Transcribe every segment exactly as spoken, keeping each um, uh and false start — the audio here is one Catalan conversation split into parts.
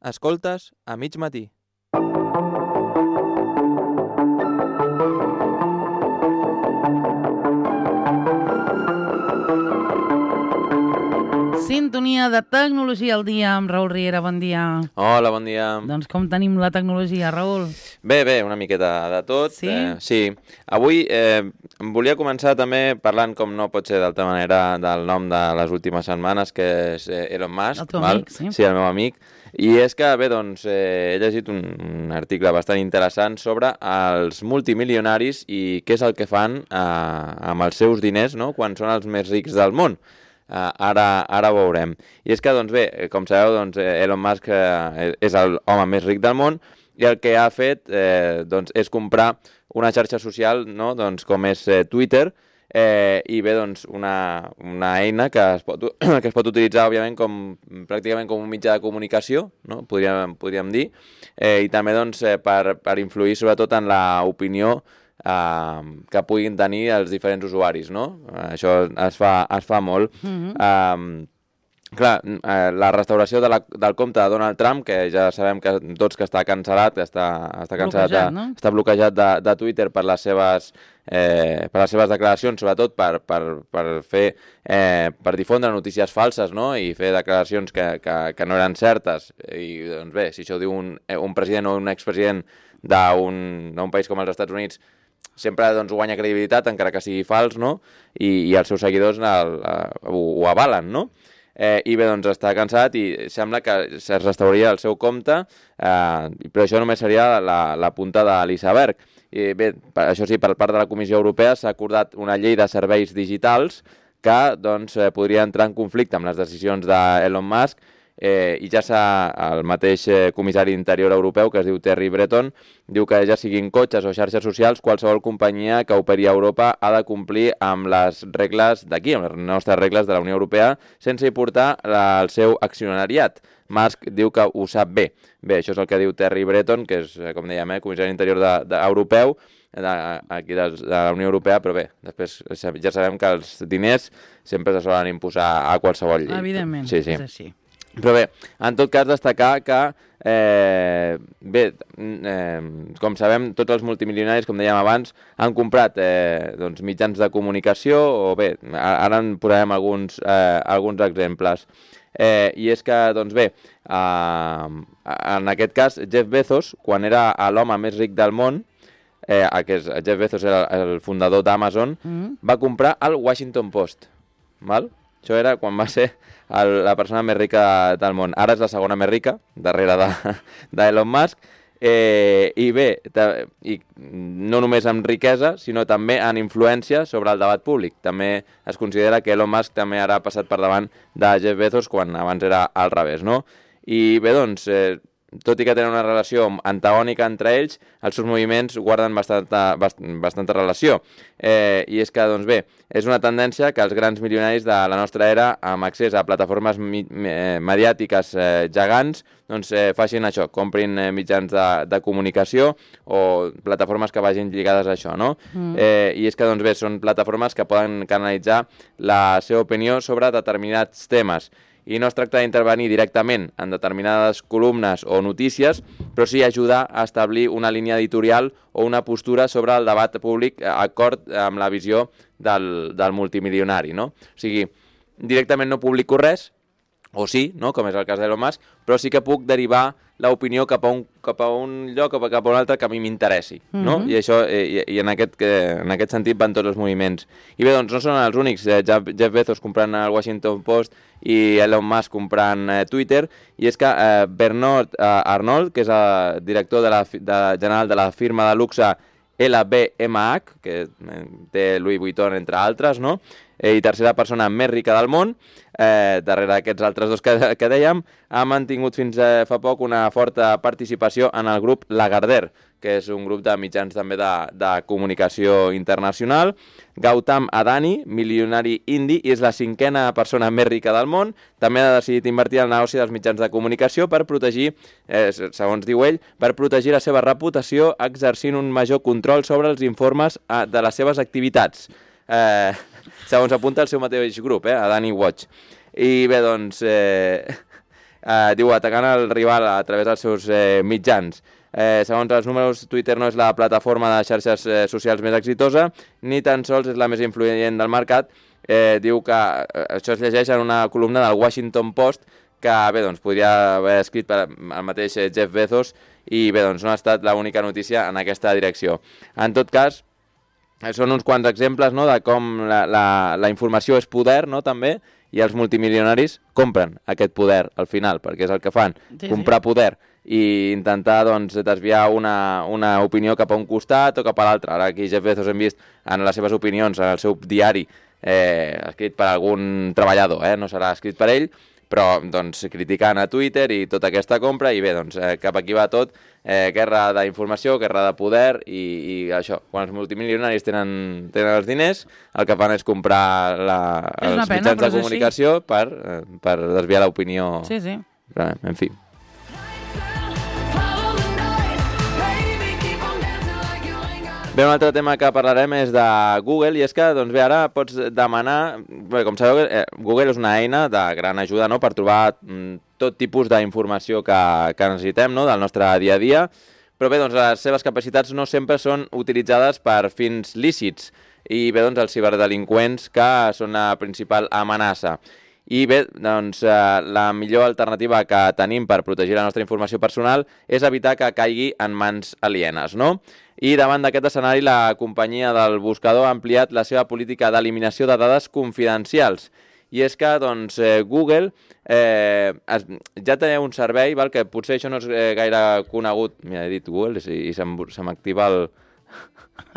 Escoltes a mig matí. Sintonia de tecnologia al dia amb Raül Riera, bon dia. Hola, bon dia. Doncs com tenim la tecnologia, Raül? Bé, bé, una miqueta de tot. Sí? Eh, sí. Avui eh, em volia començar també parlant, com no pot ser d'altra manera, del nom de les últimes setmanes, que és eh, Elon Musk. El teu val? amic, sí. Sí, el meu amic. I és que, bé, doncs, eh, he llegit un, un article bastant interessant sobre els multimilionaris i què és el que fan eh, amb els seus diners, no?, quan són els més rics del món. Uh, ara, ara ho veurem. I és que, doncs bé, com sabeu, doncs, Elon Musk uh, és el home més ric del món i el que ha fet eh, doncs, és comprar una xarxa social, no?, doncs, com és eh, Twitter, eh, i bé, doncs, una, una eina que es, pot, que es pot utilitzar, òbviament, com, pràcticament com un mitjà de comunicació, no?, podríem, podríem dir, eh, i també doncs, eh, per, per influir sobretot en l'opinió Uh, que puguin tenir els diferents usuaris, no? Uh, això es fa, es fa molt. Mm-hmm. uh, clar, uh, la restauració de la, del compte de Donald Trump, que ja sabem que tots que està cancel·lat, està, està cancel·lat, bloquejat, de, no? Està bloquejat de, de Twitter per les seves, eh, per les seves declaracions, sobretot per, per, per fer, eh, per difondre notícies falses, no?, i fer declaracions que, que, que no eren certes. I doncs bé, si això ho diu un, un president o un expresident d'un país com els Estats Units, sempre doncs, guanya credibilitat, encara que sigui fals, no? I, i els seus seguidors el, el, ho, ho avalen, no? Eh, I bé, doncs està cansat i sembla que es restauraria el seu compte, eh, però això només seria la, la punta de l'iceberg. I bé, per, això sí, per part de la Comissió Europea s'ha acordat una llei de serveis digitals que doncs, eh, podria entrar en conflicte amb les decisions d'Elon Musk. Eh, i ja s'ha, el mateix eh, comissari d'interior europeu, que es diu Thierry Breton, diu que ja siguin cotxes o xarxes socials, qualsevol companyia que operi a Europa ha de complir amb les regles d'aquí, amb les nostres regles de la Unió Europea, sense importar la, el seu accionariat. Musk diu que ho sap bé. Bé, això és el que diu Thierry Breton, que és, com dèiem, eh, comissari d'interior de, de, europeu, de, aquí de, de la Unió Europea, però bé, després ja sabem que els diners sempre se solen imposar a qualsevol llei. Evidentment, sí, sí. és així. Però bé, en tot cas destacar que, eh, bé, eh, com sabem, tots els multimilionaris, com dèiem abans, han comprat eh, doncs, mitjans de comunicació, o bé, ara en posarem alguns, eh, alguns exemples. Eh, I és que, doncs bé, eh, en aquest cas, Jeff Bezos, quan era l'home més ric del món, eh, que és, Jeff Bezos era el fundador d'Amazon, mm-hmm. va comprar el Washington Post, val? Això era quan va ser el, la persona més rica del món. Ara és la segona més rica, darrere d'Elon Musk. Eh, I bé, ta, i no només amb riquesa, sinó també en influència sobre el debat públic. També es considera que Elon Musk també ara ha passat per davant de Jeff Bezos, quan abans era al revés, no? I bé, doncs, eh, tot i que tenen una relació antagònica entre ells, els seus moviments guarden bastanta, bast, bastanta relació. Eh, I és que, doncs bé, és una tendència que els grans milionaris de la nostra era, amb accés a plataformes mi, eh, mediàtiques eh, gegants, doncs eh, facin això, comprin eh, mitjans de, de comunicació o plataformes que vagin lligades a això, no? Mm. Eh, I és que, doncs bé, són plataformes que poden canalitzar la seva opinió sobre determinats temes. I no es tracta d'intervenir directament en determinades columnes o notícies, però sí ajudar a establir una línia editorial o una postura sobre el debat públic d'acord amb la visió del, del multimilionari, no? O sigui, directament no publico res, o sí, no?, com és el cas d'Elon Musk, però sí que puc derivar l'opinió cap a un, cap a un lloc o cap a un altre que a mi m'interessi, no? Mm-hmm. I això, i, i en, aquest, en aquest sentit van tots els moviments. I bé, doncs no són els únics, eh, Jeff Bezos comprant el Washington Post i Elon Musk comprant eh, Twitter, i és que eh, Bernard eh, Arnault, que és el director de la, de, general de la firma de luxe L V M H, que té Louis Vuitton, entre altres, no?, i tercera persona més rica del món, eh, darrere d'aquests altres dos que, que dèiem, ha mantingut fins eh, fa poc una forta participació en el grup Lagardère, que és un grup de mitjans també de, de comunicació internacional. Gautam Adani, milionari indi, és la cinquena persona més rica del món, també ha decidit invertir en el negoci dels mitjans de comunicació per protegir, eh, segons diu ell, per protegir la seva reputació exercint un major control sobre els informes eh, de les seves activitats. Eh, segons apunta el seu mateix grup, eh, Adani Watch. I bé, doncs, eh, eh, diu, atacant el rival a través dels seus eh, mitjans. Eh, segons els números, Twitter no és la plataforma de xarxes eh, socials més exitosa, ni tan sols és la més influent del mercat. Eh, diu que eh, això es llegeix en una columna del Washington Post, que bé, doncs, podria haver escrit per el mateix Jeff Bezos, i bé, doncs, no ha estat l'única notícia en aquesta direcció. En tot cas, són uns quants exemples, no?, de com la, la, la informació és poder, no?, també, i els multimilionaris compren aquest poder al final, perquè és el que fan, sí, comprar sí. poder i intentar doncs, desviar una, una opinió cap a un costat o cap a l'altre. Ara aquí Jeff Bezos hem vist en les seves opinions, en el seu diari, eh, escrit per algun treballador, eh? No serà escrit per ell, però doncs, criticant a Twitter i tota aquesta compra, i bé, doncs, eh, cap aquí va tot, eh, guerra d'informació, guerra de poder, i, i això, quan els multimilionaris tenen, tenen els diners, el que fan és comprar la, els pena, mitjans de comunicació per, eh, per desviar l'opinió. Sí, sí. Però, en fi. Bé, un altre tema que parlarem és de Google, i és que, doncs bé, ara pots demanar... Bé, com sabeu, eh, Google és una eina de gran ajuda, no?, per trobar mm, tot tipus d'informació que, que necessitem, no?, del nostre dia a dia, però bé, doncs les seves capacitats no sempre són utilitzades per fins lícits, i bé, doncs els ciberdelinqüents que són la principal amenaça. I bé, doncs eh, la millor alternativa que tenim per protegir la nostra informació personal és evitar que caigui en mans alienes, no? I davant d'aquest escenari, la companyia del buscador ha ampliat la seva política d'eliminació de dades confidencials. I és que, doncs, eh, Google eh, es, ja té un servei, val, que potser això no és eh, gaire conegut. Mira, he dit Google i, i se m'activa el...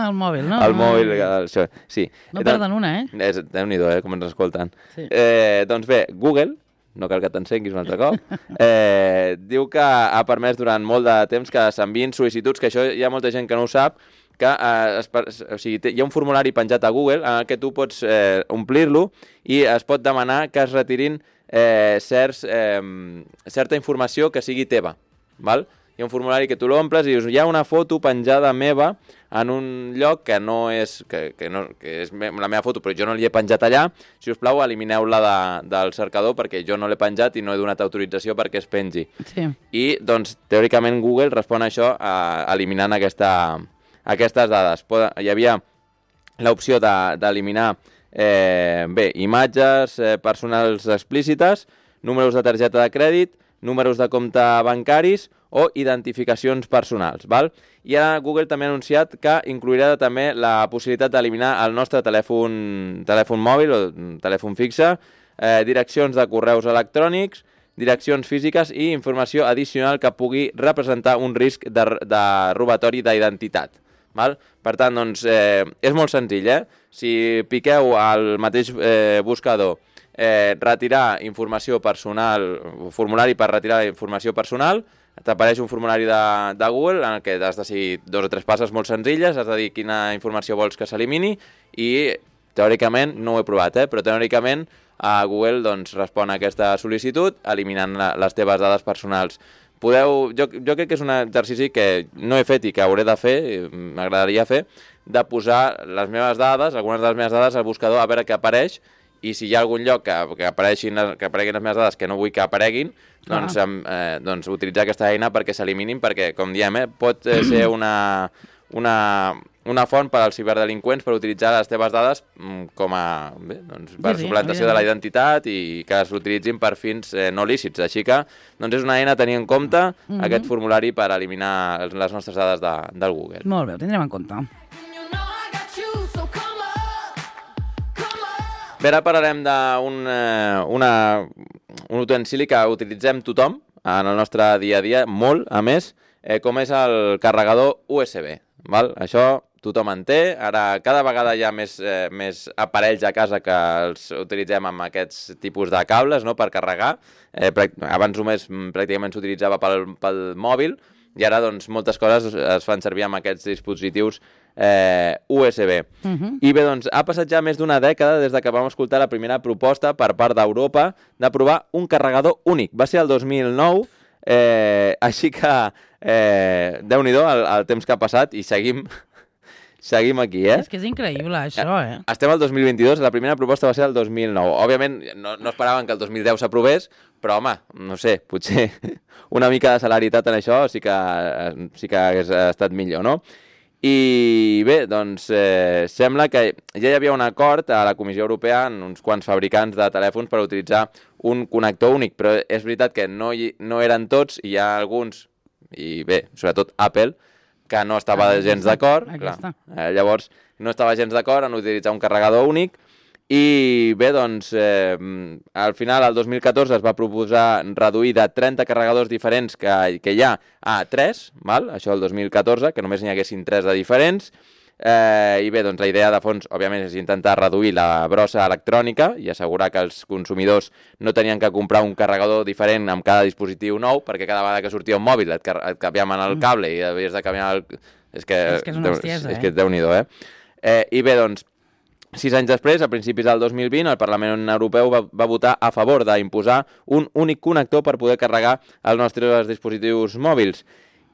El mòbil, no? El mòbil, això, sí. No perden una, eh? És, Déu-n'hi-do, eh, com ens escolten. Sí. Eh, doncs bé, Google, no cal que t'encenguis un altre cop, eh, diu que ha permès durant molt de temps que s'enviïn sol·licituds, que això hi ha molta gent que no ho sap, que eh, es, o sigui, hi ha un formulari penjat a Google en què tu pots eh, omplir-lo i es pot demanar que es retirin eh, certs, eh, certa informació que sigui teva, val? Hi ha un formulari que tu l'omples i dius, hi ha una foto penjada meva en un lloc que no és, que, que no, que és me, la meva foto, però jo no l'hi he penjat allà. Si us plau, elimineu-la de, del cercador perquè jo no l'he penjat i no he donat autorització perquè es pengi. Sí. I, doncs, teòricament Google respon a això a, eliminant aquesta, aquestes dades. Pod, hi havia l'opció d'eliminar de, eh, bé, imatges eh, personals explícites, números de targeta de crèdit, números de compte bancaris o identificacions personals, val? I ara Google també ha anunciat que inclourà també la possibilitat d'eliminar el nostre telèfon, telèfon mòbil o telèfon fixe, eh, direccions de correus electrònics, direccions físiques i informació addicional que pugui representar un risc de, de robatori d'identitat. Val? Per tant, doncs, eh, és molt senzill, eh? Si piqueu al mateix eh, buscador eh, retirar informació personal, formulari per retirar informació personal, t'apareix un formulari de, de Google en el que has de seguir dos o tres passes molt senzilles, has de dir quina informació vols que s'elimini i, teòricament, no ho he provat, eh, però teòricament a Google doncs, respon a aquesta sol·licitud eliminant la, les teves dades personals. Podeu, jo, jo crec que és un exercici que no he fet i que hauré de fer, m'agradaria fer, de posar les meves dades, algunes de les meves dades al buscador a veure què apareix, i si hi ha algun lloc que, que, apareixin, que apareguin les meves dades que no vull que apareguin, doncs, ah. eh, doncs utilitzar aquesta eina perquè s'eliminin, perquè, com diem, eh, pot ser una, una, una font per als ciberdelinqüents per utilitzar les teves dades com a bé, doncs, per sí, sí, suplantació de la identitat i que es utilitzin per fins eh, no lícits. Així que doncs és una eina a tenir en compte, mm-hmm. aquest formulari per eliminar les nostres dades de, del Google. Molt bé, ho tindrem en compte. Bé, ara parlarem d'un eh, un utensili que utilitzem tothom en el nostre dia a dia, molt, a més, eh, com és el carregador U S B. Val? Això tothom en té. Ara, cada vegada hi ha més, eh, més aparells a casa que els utilitzem amb aquests tipus de cables, no?, per carregar. Eh, abans només pràcticament s'utilitzava pel, pel mòbil, i ara doncs, moltes coses es fan servir amb aquests dispositius eh, U S B. Uh-huh. I bé, doncs, ha passat ja més d'una dècada des de que vam escoltar la primera proposta per part d'Europa de provar un carregador únic. Va ser el dos mil nou, eh, així que eh, Déu-n'hi-do el, el temps que ha passat i seguim, seguim aquí, eh? És que és increïble, això, eh? Estem al dos mil vint-i-dos, la primera proposta va ser el dos mil nou. Òbviament, no, no esperaven que el dos mil deu s'aprovés, però, home, no sé, potser una mica de celeritat en això sí que, sí que hagués estat millor, no? I bé, doncs eh, sembla que ja hi havia un acord a la Comissió Europea en uns quants fabricants de telèfons per utilitzar un connector únic, però és veritat que no, hi, no eren tots, i hi ha alguns, i bé, sobretot Apple, que no estava ah, gens d'acord, eh, llavors no estava gens d'acord en utilitzar un carregador únic, i bé, doncs, eh, al final, el dos mil catorze, es va proposar reduir de trenta carregadors diferents que, que hi ha a tres, val? Això el dos mil catorze, que només n'hi haguessin tres de diferents, eh, i bé, doncs la idea de fons, òbviament, és intentar reduir la brossa electrònica i assegurar que els consumidors no tenien que comprar un carregador diferent amb cada dispositiu nou, perquè cada vegada que sortia un mòbil et, et canviaven el cable i havies de canviar el... És que és, que és una bestiesa, eh? És que Déu-n'hi-do, eh? eh? I bé, doncs, sis anys després, a principis del dos mil vint, el Parlament Europeu va, va votar a favor d'imposar un únic connector per poder carregar els nostres dispositius mòbils.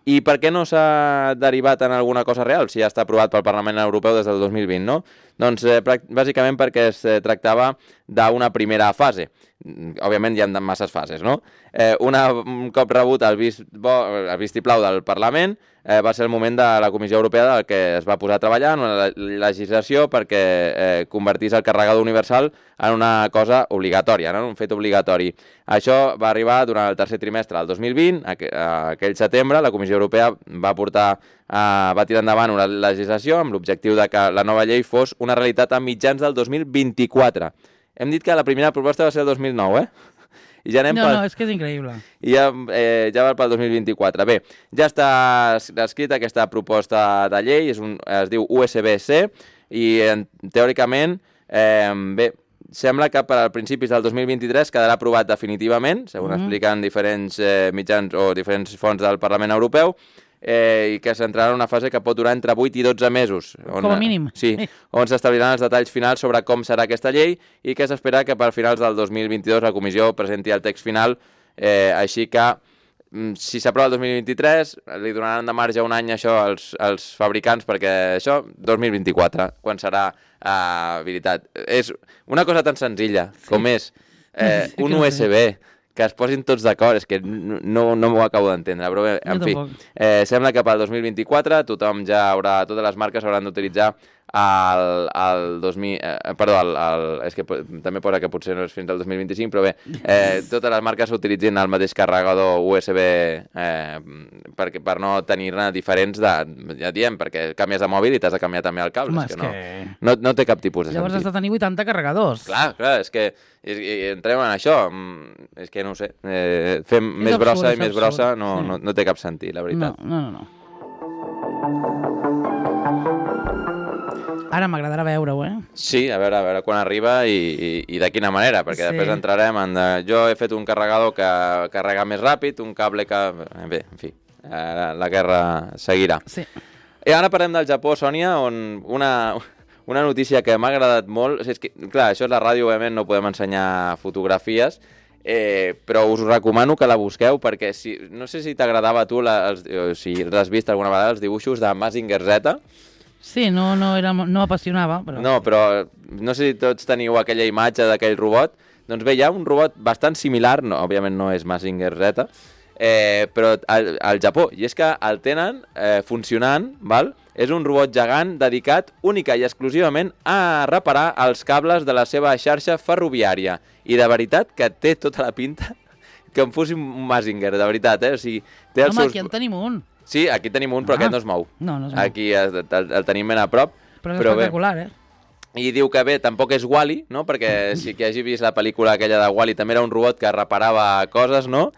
I per què no s'ha derivat en alguna cosa real, si ja està aprovat pel Parlament Europeu des del dos mil vint, no? Doncs eh, bàsicament perquè es eh, tractava d'una primera fase. Òbviament hi ha masses fases, no? Eh, una, un cop rebut el, vist bo, el vistiplau del Parlament, eh, va ser el moment de la Comissió Europea del que es va posar a treballar en una legislació perquè eh, convertís el carregador universal en una cosa obligatòria, no? Un fet obligatori. Això va arribar durant el tercer trimestre del dos mil vint, aqu aquell setembre, la Comissió Europea va portar, eh, va tirar endavant una legislació amb l'objectiu de que la nova llei fos una realitat a mitjans del dos mil vint-i-quatre. Hem dit que la primera proposta va ser el dos mil nou, eh? I ja anem no, pel... no, és que és increïble. I ja, eh, ja va pel dos mil vint-i-quatre. Bé, ja està escrita aquesta proposta de llei, és un, es diu U S B-C, i en, teòricament, eh, bé, sembla que per als principis del dos mil vint-i-tres quedarà aprovat definitivament, segons mm-hmm. expliquen diferents eh, mitjans o diferents fonts del Parlament Europeu, eh, i que s'entrarà en una fase que pot durar entre vuit i dotze mesos. On, com a mínim. Sí, on s'establiran els detalls finals sobre com serà aquesta llei i que s'espera que per finals del dos mil vint-i-dos la Comissió presenti el text final, eh, així que si s'aprova el dos mil vint-i-tres li donaran de marge un any això als, als fabricants perquè això, dos mil vint-i-quatre, quan serà eh, veritat. És una cosa tan senzilla com és eh, un U S B, que es posin tots d'acord, és que no, no m'ho acabo d'entendre, però bé, en fi, eh, sembla que pel dos mil vint-i-quatre tothom ja haurà, totes les marques hauran d'utilitzar el, el dos mil, eh, perdó, el, el, és que també posa que potser no és fins al dos mil vint-i-cinc, però bé, eh, totes les marques utilitzin el mateix carregador U S B eh, per, per no tenir-ne diferents de, ja diem, perquè canvies de mòbil i t'has de canviar també el cable. Home, és que, que... No, no, no té cap tipus de Llavors sentit. Llavors has de tenir vuitanta carregadors. Clar, clar, és que és, i entrem en això, és que no ho sé, eh, fem és més absurd, brossa i més absurd. brossa no, sí. no, no té cap sentit, la veritat. No, no, no. Ara m'agradarà veure-ho, eh? Sí, a veure, a veure quan arriba i, i, i de quina manera, perquè sí. Després entrarem en... De... Jo he fet un carregador que carrega més ràpid, un cable que... Bé, en fi, eh, la guerra seguirà. Sí. I ara parlem del Japó, Sònia, on una, una notícia que m'ha agradat molt... És que, clar, això és la ràdio, òbviament no podem ensenyar fotografies, eh, però us recomano que la busqueu perquè si, no sé si t'agradava a tu, la, els, si l'has vist alguna vegada, els dibuixos de Mazinger Z. Sí, no, no, era, no apassionava. Però... No, però no sé si tots teniu aquella imatge d'aquell robot. Doncs bé, hi ha un robot bastant similar, no, òbviament no és Mazinger Z, eh, però al, al Japó. I és que el tenen eh, funcionant, val? És un robot gegant dedicat única i exclusivament a reparar els cables de la seva xarxa ferroviària. I de veritat que té tota la pinta que em fos un Mazinger, de veritat, eh? O sigui, té els Home, seus... aquí en tenim un. Sí, aquí tenim un, però ah. aquest no es mou. No, no es mou. Aquí el, el, el tenim ben a prop. Però és però espectacular, bé. eh? I diu que bé, tampoc és Wall-E, no? Perquè si qui hagi vist la pel·lícula aquella de Wall-E també era un robot que reparava coses, no?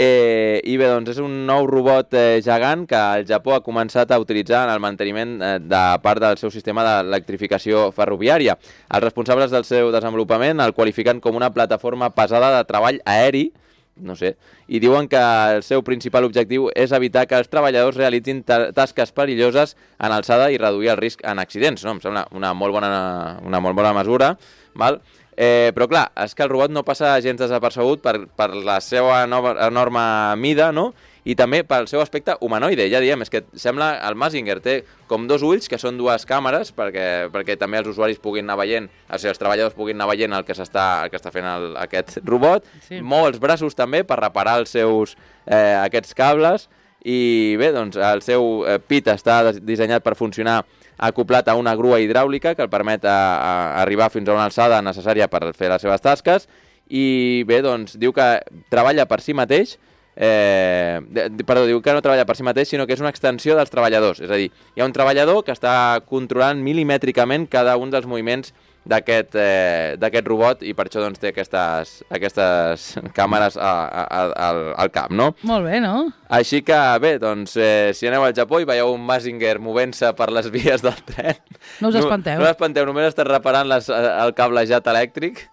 Eh, I bé, doncs és un nou robot eh, gegant que el Japó ha començat a utilitzar en el manteniment eh, de part del seu sistema d'electrificació ferroviària. Els responsables del seu desenvolupament el qualifiquen com una plataforma pesada de treball aeri, no sé, i diuen que el seu principal objectiu és evitar que els treballadors realitzin tasques perilloses en alçada i reduir el risc en accidents, no? Em sembla una molt bona, una molt bona mesura, val? Eh, però clar, és que el robot no passa gens desapercebut per, per la seva nova, enorme mida, no? i també pel seu aspecte humanoide, ja diem, és que sembla el Mazinger té com dos ulls, que són dues càmeres, perquè, perquè també els usuaris puguin anar veient, o sigui, els treballadors puguin anar veient el que s'està el que està fent el, aquest robot, sí. Mou els braços també per reparar els seus, eh, aquests cables, i bé, doncs el seu eh, pit està dissenyat per funcionar acoplat a una grua hidràulica que el permet a, a arribar fins a una alçada necessària per fer les seves tasques, i bé, doncs diu que treballa per si mateix, eh, perdó, diu que no treballa per si mateix, sinó que és una extensió dels treballadors, és a dir, hi ha un treballador que està controlant milimètricament cada un dels moviments d'aquest eh, d'aquest robot, i per això doncs, té aquestes, aquestes càmeres a, a, a, al, al cap, no? Molt bé, no? Així que, bé, doncs, eh, si aneu al Japó i veieu un Mazinger movent-se per les vies del tren... No us espanteu. No, no us espanteu, només estàs reparant les, el cablejat elèctric.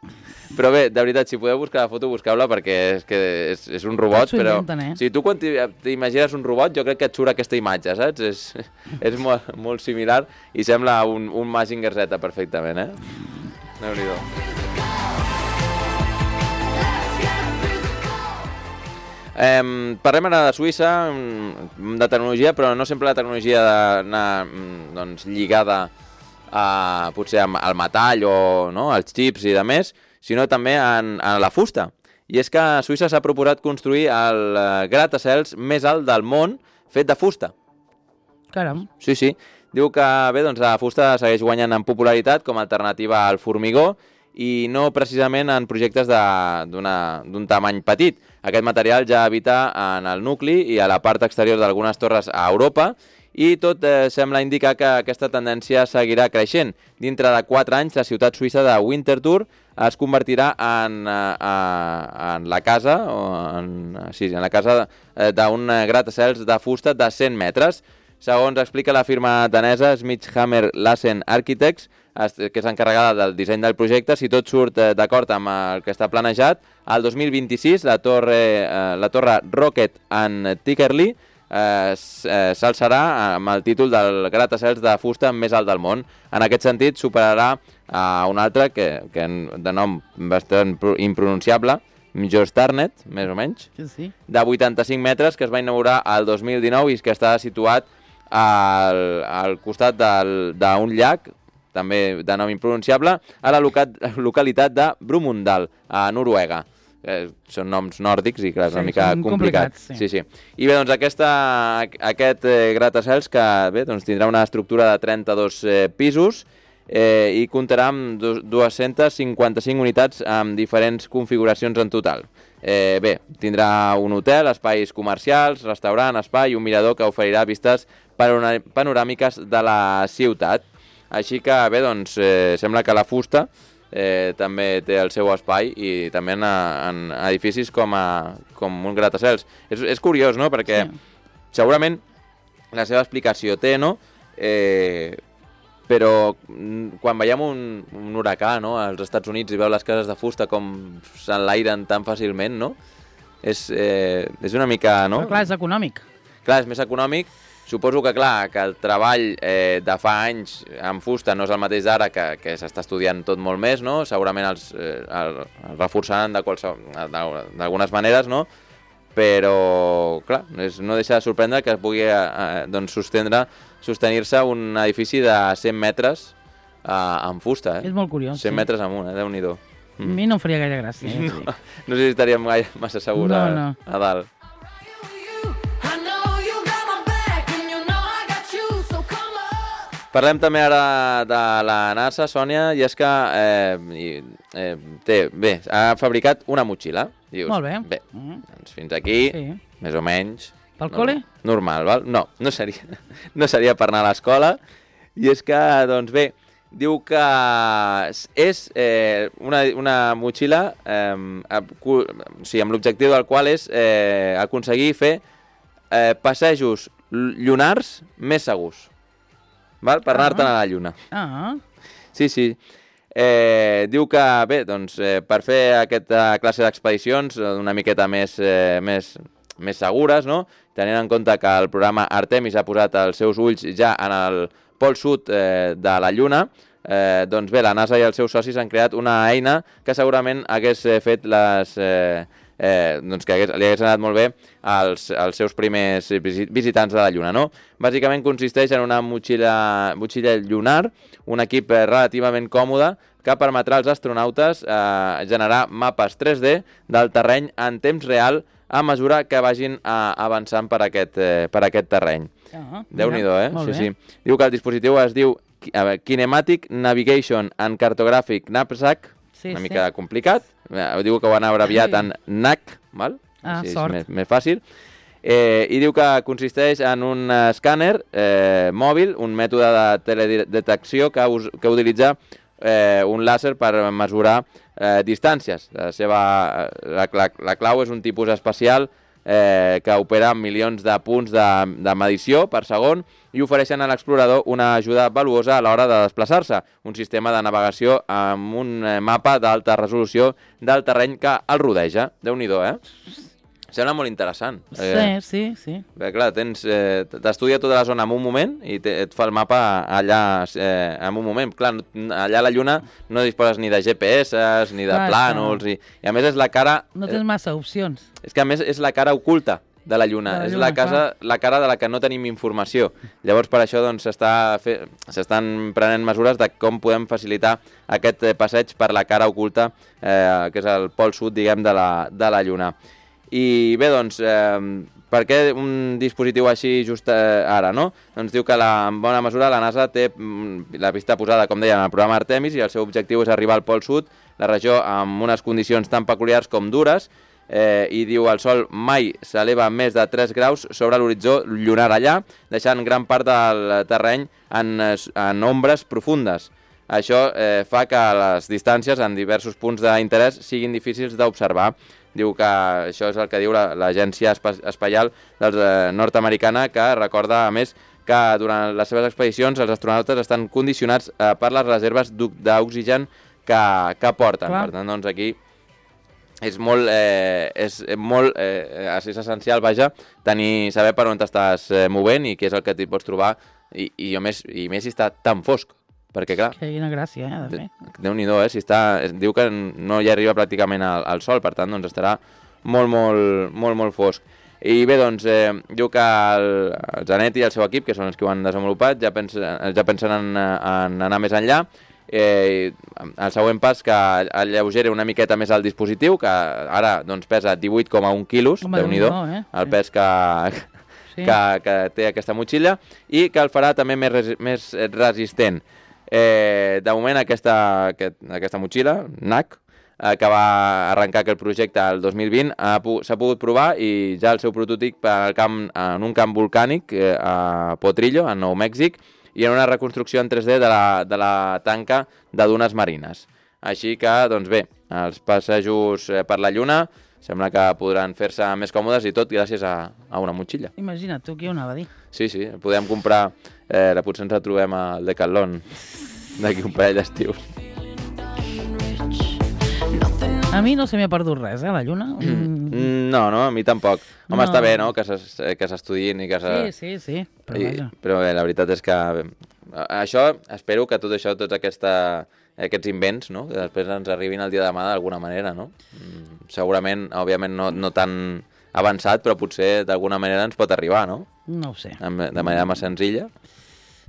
Però bé, de veritat, si podeu buscar la foto, busqueu-la, perquè és que és, és un robot, però... Inventen, eh? O sigui, tu quan t'imagines un robot, jo crec que et surt aquesta imatge, saps? És, és molt, molt similar i sembla un, un Mazinger Z perfectament, eh? Déu-n'hi-do. Eh, parlem ara de Suïssa, de tecnologia, però no sempre la tecnologia d'anar doncs, lligada a, potser al metall o no, als xips i de més, sinó també en, en la fusta. I és que a Suïssa s'ha proposat construir el gratacels més alt del món fet de fusta. Caram. Sí, sí. Diu que bé, doncs, la fusta segueix guanyant en popularitat com a alternativa al formigó i no precisament en projectes d'un tamany petit. Aquest material ja habita en el nucli i a la part exterior d'algunes torres a Europa, i tot eh, sembla indicar que aquesta tendència seguirà creixent. Dintre de quatre anys, la ciutat suïssa de Winterthur es convertirà en, eh, en la casa, o en, sí, en la casa d'un gratacels de fusta de cent metres. Segons explica la firma danesa Smithhammer Lassen Architects, que és encarregada del disseny del projecte, si tot surt d'acord amb el que està planejat, el dos mil vint-i-sis la torre, eh, la torre Rocket and Tickerley eh, s'alçarà amb el títol del gratacels de fusta més alt del món. En aquest sentit, superarà a un altre que, que de nom bastant impronunciable, Mjøstarnet, més o menys, sí, sí. de vuitanta-cinc metres, que es va inaugurar el dos mil dinou i que està situat al, al costat d'un llac, també de nom impronunciable, a la loca localitat de Brumunddal, a Noruega. Eh, són noms nòrdics i, clar, és una sí, mica complicat. Sí. Sí, sí. I bé, doncs aquesta, aquest eh, gratacels que bé, doncs, tindrà una estructura de trenta-dos eh, pisos eh, i comptarà amb dues-centes cinquanta-cinc unitats amb diferents configuracions en total. Eh, bé, tindrà un hotel, espais comercials, restaurant, espai i un mirador que oferirà vistes panoràmiques de la ciutat. Així que, bé, doncs, eh, sembla que la fusta eh, també té el seu espai i també en, en edificis com, a, com un gratacels. És, és curiós, no?, perquè sí. Segurament la seva explicació té, no?, eh, però quan veiem un, un huracà, no?, als Estats Units i veu les cases de fusta com s'enlairen tan fàcilment, no?, és, eh, és una mica, no? Però clar, és econòmic. Clar, és més econòmic. Suposo que, clar, que el treball eh, de fa anys amb fusta no és el mateix d'ara, que, que s'està estudiant tot molt més, no? Segurament els, eh, el, el reforçaran d'algunes maneres, no? Però, clar, és, no deixa de sorprendre que es pugui eh, doncs, sostendre, sostenir-se un edifici de cent metres eh, amb fusta, eh? És molt curiós, cent sí. metres amunt, eh? Déu-n'hi-do. Mm. A mi no em faria gaire gràcia. Eh? No, no sé si estaríem gaire massa segurs no, no. A, a dalt. Parlem també ara de la NASA, Sònia, i és que eh, eh, té, bé, ha fabricat una motxilla. Dius, molt bé. Bé, doncs fins aquí, sí. Més o menys. Pel col·le? Normal, val? No, no seria, no seria per anar a l'escola. I és que, doncs bé, diu que és eh, una, una motxilla eh, o sigui, amb l'objectiu del qual és eh, aconseguir fer eh, passejos llunars més segurs. Val? Per anar-te'n a la Lluna. Ah. Sí, sí. Eh, diu que, bé, doncs, eh, per fer aquesta classe d'expedicions una miqueta més, eh, més, més segures, no? Tenint en compte que el programa Artemis ha posat els seus ulls ja en el pol sud eh, de la Lluna, eh, doncs bé, la NASA i els seus socis han creat una eina que segurament hagués fet les, eh, eh, doncs que hagués, li hagués anat molt bé als, als seus primers visitants de la Lluna, no? Bàsicament consisteix en una motxilla, motxilla lunar, un equip relativament còmode que permetrà als astronautes eh, generar mapes tres D del terreny en temps real a mesura que vagin eh, avançant per aquest, eh, per aquest terreny. Ah, Déu-n'hi-do, eh? Molt Sí, bé. sí. Diu que el dispositiu es diu a veure, Kinematic Navigation and Cartographic Knapsack, Sí, una sí. mica complicat. Eh, Diu que ho han abreviat en N A C, val? Ah, Així és sort. més, més fàcil. Eh, I diu que consisteix en un escàner eh, mòbil, un mètode de teledetecció que, us, que utilitza eh, un làser per mesurar eh, distàncies. La, seva, la, la, la clau és un tipus especial eh, que opera amb milions de punts de, de medició per segon i ofereixen a l'explorador una ajuda valuosa a l'hora de desplaçar-se, un sistema de navegació amb un eh, mapa d'alta resolució del terreny que el rodeja. Déu-n'hi-do, eh? Sembla molt interessant. Sí, Eh, sí, sí. Bé, clar, tens, eh, t'estudia tota la zona en un moment i te, et fa el mapa allà eh, en un moment. Clar, no- allà a la Lluna no disposes ni de G P S ni de Clar, plànols, i, i a més és la cara... No tens massa opcions. És que a més és la cara oculta de la Lluna, De la és Lluna, la, casa, la cara de la que no tenim informació. Llavors per això doncs, s'està fe... s'estan prenent mesures de com podem facilitar aquest eh, passeig per la cara oculta, eh, que és el pol sud, diguem, de la, de la Lluna. I bé, doncs, eh, per què un dispositiu així just eh, ara, no? Doncs diu que la, en bona mesura la NASA té mm, la pista posada, com deia, en el programa Artemis i el seu objectiu és arribar al pol sud, la regió amb unes condicions tan peculiars com dures, eh, i diu el Sol mai s'eleva més de tres graus sobre l'horitzó lunar allà, deixant gran part del terreny en, en ombres profundes. Això eh, fa que les distàncies en diversos punts d'interès siguin difícils d'observar. Diu que això és el que diu la- l'Agència Espa Espacial dels, eh, nord-americana, que recorda, a més, que durant les seves expedicions els astronautes estan condicionats eh, per les reserves d'o- d'oxigen que, que porten. Clar. Per tant, doncs aquí és molt, eh, és molt eh, és essencial, vaja, tenir, saber per on t'estàs eh, movent i què és el que t'hi pots trobar, i, i, a més, i més si està tan fosc, perquè clar, Quina gràcia, eh, de fer. Déu-n'hi-do, eh? Si està, es diu que no hi arriba pràcticament al, al sol, per tant, doncs estarà molt, molt, molt, molt fosc. I bé, doncs, eh, diu que el, el Zanetti i el seu equip, que són els que ho han desenvolupat, ja pensen, ja pensen en, en anar més enllà. Eh, el següent pas que alleugeri una miqueta més el dispositiu, que ara doncs, pesa divuit coma un quilos, Home, Déu-n'hi-do, Déu-n'hi-do, eh? el Sí. pes que, Sí. que, que té aquesta motxilla, i que el farà també més, resi més resistent. Eh, de moment aquesta, aquest, aquesta motxilla, N A C, eh, que va arrencar aquest projecte el dos mil vint, ha pu s'ha pogut provar i ja el seu prototip per al camp, en un camp volcànic eh, a Potrillo, a Nou Mèxic, i en una reconstrucció en tres D de la, de la tanca de dunes marines. Així que, doncs bé, els passejos eh, per la Lluna sembla que podran fer-se més còmodes i tot gràcies a, a una motxilla. Imagina't tu qui ho anava a dir. Sí, sí, podem comprar, eh, potser ens la trobem al Decathlon d'aquí un parell d'estius. A mi no se m'ha perdut res, eh, la Lluna. Mm. Mm, No, no, a mi tampoc. Home, No. està bé, no?, que s'es- eh, que s'estudiïn i que se... Sí, sí, sí, però I, vaja. però bé, la veritat és que bé, això, espero que tot això, tots aquesta, aquests invents, no?, que després ens arribin el dia de demà d'alguna manera, no? Mm, segurament, òbviament, no, no tan avançat, però potser d'alguna manera ens pot arribar, no? No ho sé. Amb- De manera més senzilla.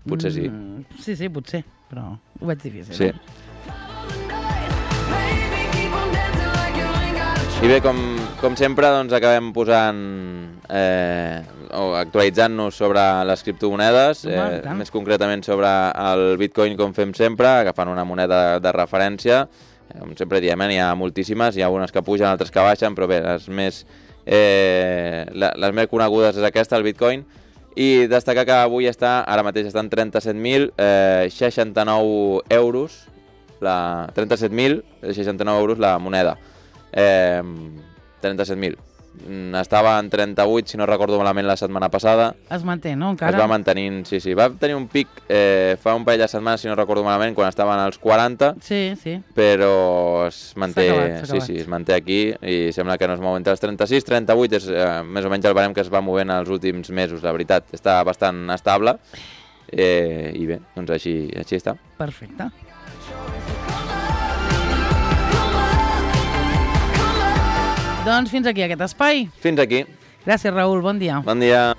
Potser sí. Mm, sí, sí, potser, però ho veig difícil. Sí. Eh? I bé, com, com sempre, doncs acabem posant, eh, o actualitzant-nos sobre les criptomonedes, Home, eh, i tant. més concretament sobre el Bitcoin, com fem sempre, agafant una moneda de referència. Eh, Com sempre diem, eh, n'hi ha moltíssimes, hi ha algunes que pugen, altres que baixen, però bé, les més, eh, la, les més conegudes és aquesta, el Bitcoin, i destacar que avui està, ara mateix està en trenta-set mil seixanta-nou euros, la, trenta-set mil seixanta-nou euros la moneda. Eh, trenta-set mil. Mm, Estava en trenta-vuit, si no recordo malament, la setmana passada. Es manté, no, Es encara? va mantenint, sí, sí. Va tenir un pic eh, fa un parell de setmanes, si no recordo malament, quan estaven als quaranta, Sí, sí. però es manté, S'ha acabat, s'ha sí, acabat. sí, es manté aquí i sembla que no es mou entre els trenta-sis, trenta-vuit, és eh, més o menys el barem que es va movent els últims mesos, la veritat. Està bastant estable eh, i bé, doncs així, així està. Perfecte. Doncs fins aquí aquest espai. Fins aquí. Gràcies, Raül. Bon dia. Bon dia.